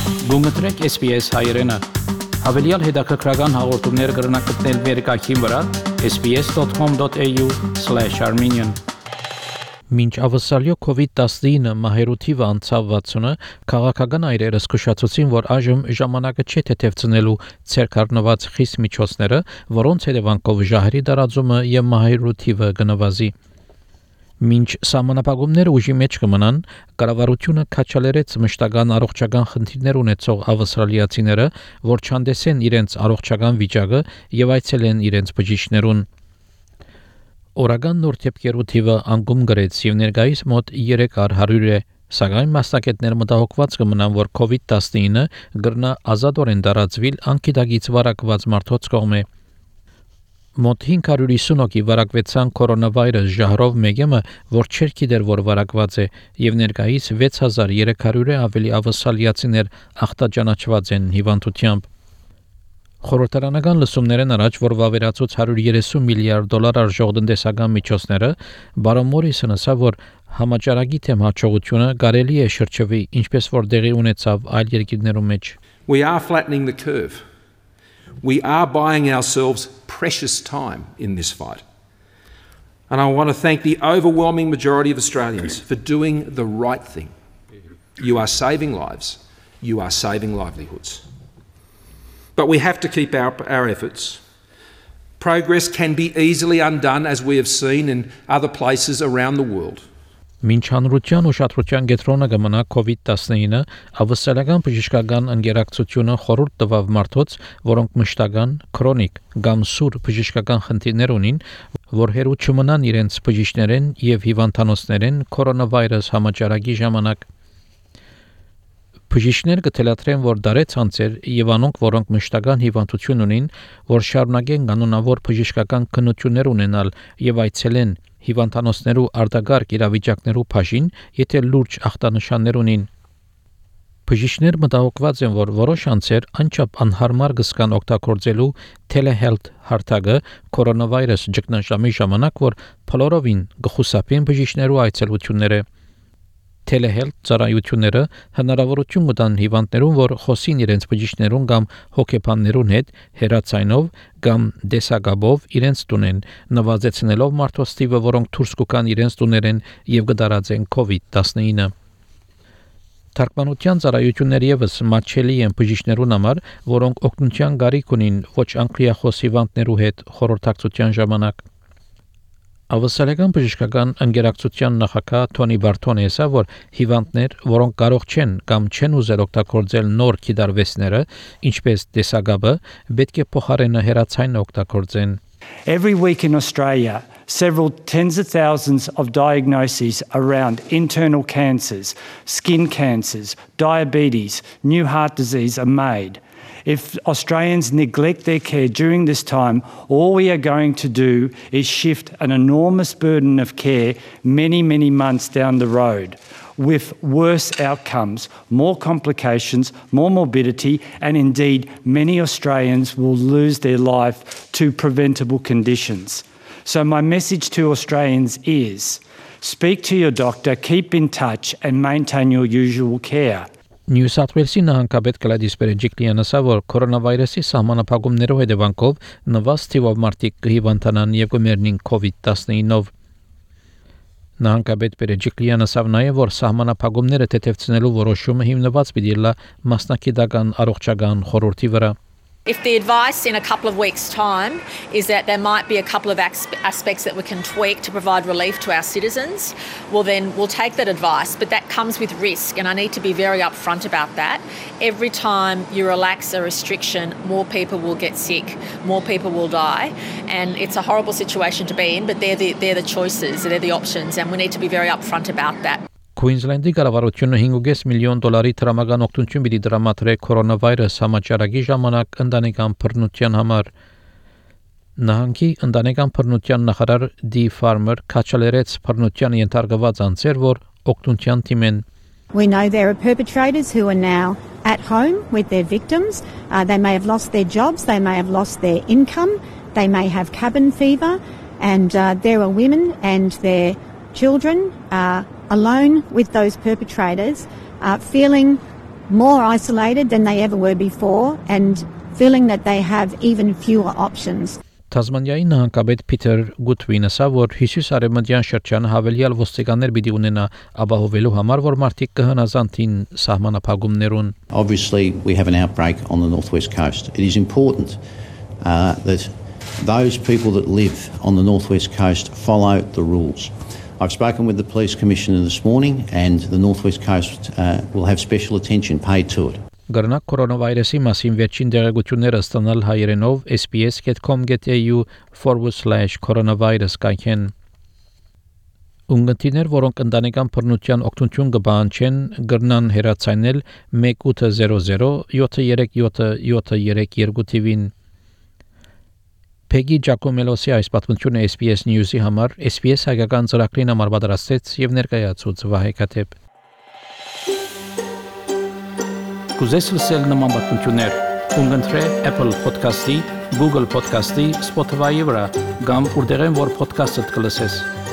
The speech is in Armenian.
Գումտրեք SPS հայերեն։ Հավելյալ հետաքրքրական հաղորդումներ կգրնակցնել վերկայքին վրա sbs.com.au/armenian Մինչ ավսալյո COVID-19 մահերու թիվը անցավ 60-ը, քաղաքական այրերը զսկուշացուցին, որ այժմ ժամանակը չէ թեթևցնելու ցերկառնված խիստ միջոցները, որոնց հետևանքով ժահերի տարածումը եւ մահերու թիվը կնվազի։ Մինչ սահմանապահումները ուժի մեջ կմնան, կառավարությունը քաչալերեց մշտական առողջական խնդիրներ ունեցող ավստրալիացիները, որ չհանդեսեն իրենց առողջական վիճակը եւ այցելեն իրենց բժիշկներուն։ Օրական նոր դեպքերու թիվը անկում գրեց եւ ներկայիս մոտ 300 է, սակայն մասնակիցներ մտահոգված կմնան, որ COVID-19 գրնա ազատորեն տարածվել անկիդագից վարակված մարդոց կողմէ։ Մոտ 550 հոգի վարակվեցան կորոնավիրուս ժահրով մեգեմը, որ չէր գիտեր, որ վարակված է, եւ ներկայիս 6300 ավելի ավստրալիացիներ ախտաճանաչված են հիվանդությամբ։ Խորհրդարանական լսումներն առաջ, որ վավերացուց $130 միլիարդ արժող տնտեսական միջոցները, բարոն Մորիսոնը ասավ, որ համաճարակի թեմ հաջողությունը կարելի է շրջվի, ինչպես որ դեղի ունեցավ այլ երկրներում մեջ։ We are flattening the curve. We are buying ourselves precious time in this fight. And I want to thank the overwhelming majority of Australians for doing the right thing. You are saving lives. You are saving livelihoods. But we have to keep our efforts. Progress can be easily undone, as we have seen in other places around the world. Մինչ հանրության ուշադրության կենտրոնը կմնա COVID-19, ավստրալիական բժշկական ընկերակցությունը խորհուրդ տվավ մարդոց, որոնք մշտական, քրոնիկ կամ սուր բժշկական խնդիրներ ունին, որ հերու չմնան իրենց բժիշկներեն եւ հիվանդանոցներեն կորոնավիրուս համաճարակի ժամանակ։ Բժիշկներ կթելադրեն, որ դարեց անցեր եւ անոնք, որոնք մշտական հիվանդություն ունին, որ շարունակեն կանոնավոր բժշկական քննություններ ունենալ եւ այցելեն հիվանդանոցներու արտագարկ իրավիճակներու բաժին, եթե լուրջ ախտանշաններ ունին։ Բժիշկներ մտահոգված են, որ որոշ անձեր անչափ անհարմար կսկան օգտագործելու telehealth հարթակը կորոնավիրուս ճգնաժամի ժամանակ, որ փլորովին կխուսափեն բժիշկներու այցելությունները։ Telehealth ծառայությունները հնարավորություն կտան հիվանդներուն, որ խոսին իրենց բժիշկներուն կամ հոգեբաններուն հետ հեռացայնով կամ դեսագաբով իրենց տունեն, նվազեցնելով մարդոց թիվը, որոնք դուրս կգան իրենց տուներեն եւ կդարածեն COVID-19։ Թարգմանության ծառայությունները եւս մատչելի են բժիշկներուն համար, որոնք օգնության կարիք ունին ոչ անգլիախոս հիվանդներու հետ խորհրդակցության ժամանակ։ Ավստրալիական բժշկական ընկերակցության նախագահ Թոնի Բարտոնը ասավ, որ հիվանդներ, որոնք կարող չեն կամ չեն ուզել օգտագործել նոր կիդարվեսները, ինչպես դեսագաբը, պետք է փոխարենը հեռացային օգտագործեն։ Every week in Australia, several tens of thousands of diagnoses around internal cancers, skin cancers, diabetes, new heart disease are made. If Australians neglect their care during this time, all we are going to do is shift an enormous burden of care many, many months down the road, with worse outcomes, more complications, more morbidity, and indeed many Australians will lose their life to preventable conditions. So my message to Australians is, speak to your doctor, keep in touch and maintain your usual care. Նյու Սաութ Ուելսի նահանգապետ Գլադիս Բերեջիկլիանը ասավ, որ կորոնավիրուսի սահմանափակումներով հետևանքով նվազած թիվով մարդիկ կհիվանդանան եւ կմեռնին COVID-19-ով։ Նահանգապետ Բերեջիկլիանը ասավ նաեւ, որ սահմանափակումները թեթևցնելու որոշումը հիմնված պիտի լա մասնակիտական առողջական խորհրդի վրա։ If the advice in a couple of weeks' time is that there might be a couple of aspects that we can tweak to provide relief to our citizens, well then we'll take that advice, but that comes with risk and I need to be very upfront about that. Every time you relax a restriction, more people will get sick, more people will die, and it's a horrible situation to be in, but they're the choices, they're the options, and we need to be very upfront about that. Քուինզլենդի կառավարությունը $5.5 միլիոն տրամական օգնություն պիտի տրամադրի կորոնավիրուս համաճարակի ժամանակ ընտանեկան բռնության համար։ Նահանգի ընտանեկան բռնության նախարար Դի Ֆարմեր քաչալերեց բռնության ենթարկված անձեր, որ օգնության թիմեն։ We know there are perpetrators who are now at home with their victims. They may have lost their jobs, they may have lost their income, they may have cabin fever, and there are women and their children alone with those perpetrators, feeling more isolated than they ever were before and feeling that they have even fewer options. Թազմանիայի նահանգապետ Փիթեր Գուտվինը ասա, որ հյուսիսարևմտյան շրջանը հավելյալ ոստիկաններ պիտի ունենա ապահովելու համար, որ մարդիկ կհնազանդին սահմանափակումներուն. Obviously, we have an outbreak on the northwest coast. It is important that those people that live on the northwest coast follow the rules. I've spoken with the police commissioner this morning, and the northwest coast will have special attention paid to it. Գրնակ կորոնավիրուսի մասին վերջին դերակցությունները ստանալ հայերենով sbs.com.au/coronavirus կայքեն. Ունգընտիներ, որոնք ընտանեկան բռնության օգնություն կբանջեն, գրնան հեռացանել 1800 737 TV-ին. Peggy Giacomelosի այս պատմությունը SBS News-ի համար SBS հայկական ծրագրին համար պատրաստեց եւ ներկայացուց Վահե Կաթեփ. Կուզես լսել նման պատմություններ, կընտրե Apple Podcast-ի, Google Podcast-ի, Spotify-ի վրա, կամ որտեղեն որ podcast-ը կլսես։